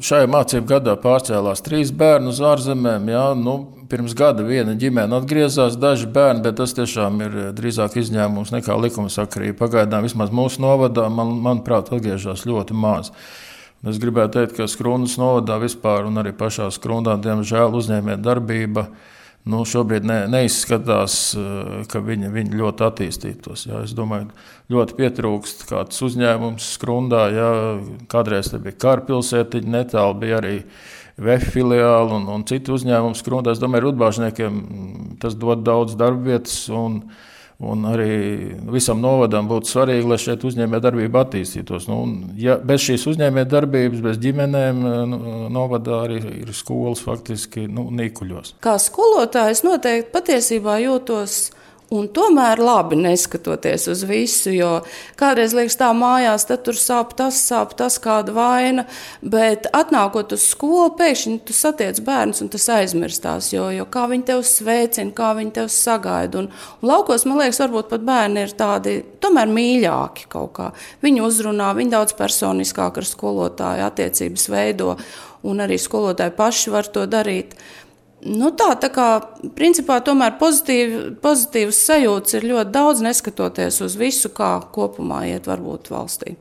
šajā mācību gadā pārcēlās 3 bērni uz ārzemēm. Jā, pirms gada viena ģimene atgriezās, daži bērni, bet tas tiešām ir drīzāk izņēmums nekā likumsakarība. Pagaidām vismaz mūsu novadā, manuprāt, atgriežas ļoti maz. Es gribētu teikt, ka Skrundas novadā vispār un arī pašā Skrundā, diemžēl, uzņēmējdarbība šobrīd neizskatās, ka viņi ļoti attīstītos. Jā. Es domāju, ļoti pietrūkst kāds uzņēmums Skrundā. Jā. Kādreiz te bija Kārpilsētiņa, netālu bija arī VF filiāli un citu uzņēmumu Skrundā. Es domāju, rudbāžniekiem tas dod daudz darbvietas un arī visam novadam būtu svarīgi, lai šeit uzņēmējdarbība attīstītos. Ja bez šīs uzņēmējdarbības, bez ģimenēm novadā arī ir skolas faktiski nīkuļos. Kā skolotājs noteikti patiesībā jūtos un tomēr labi neskatoties uz visu, jo kādreiz liekas tā mājās, tad tur sāp tas kāda vaina, bet atnākot uz skolu, pēkšņi tu satiec bērnus un tas aizmirstās, jo kā viņi tev sveicina, kā viņi tev sagaida. Un laukos, man liekas, varbūt pat bērni ir tādi tomēr mīļāki kaut kā. Viņi uzrunā, viņi daudz personiskāk ar skolotāju attiecības veido, un arī skolotāji paši var to darīt. Tā kā principā tomēr pozitīvas sajūtas ir ļoti daudz, neskatoties uz visu, kā kopumā iet varbūt valstī.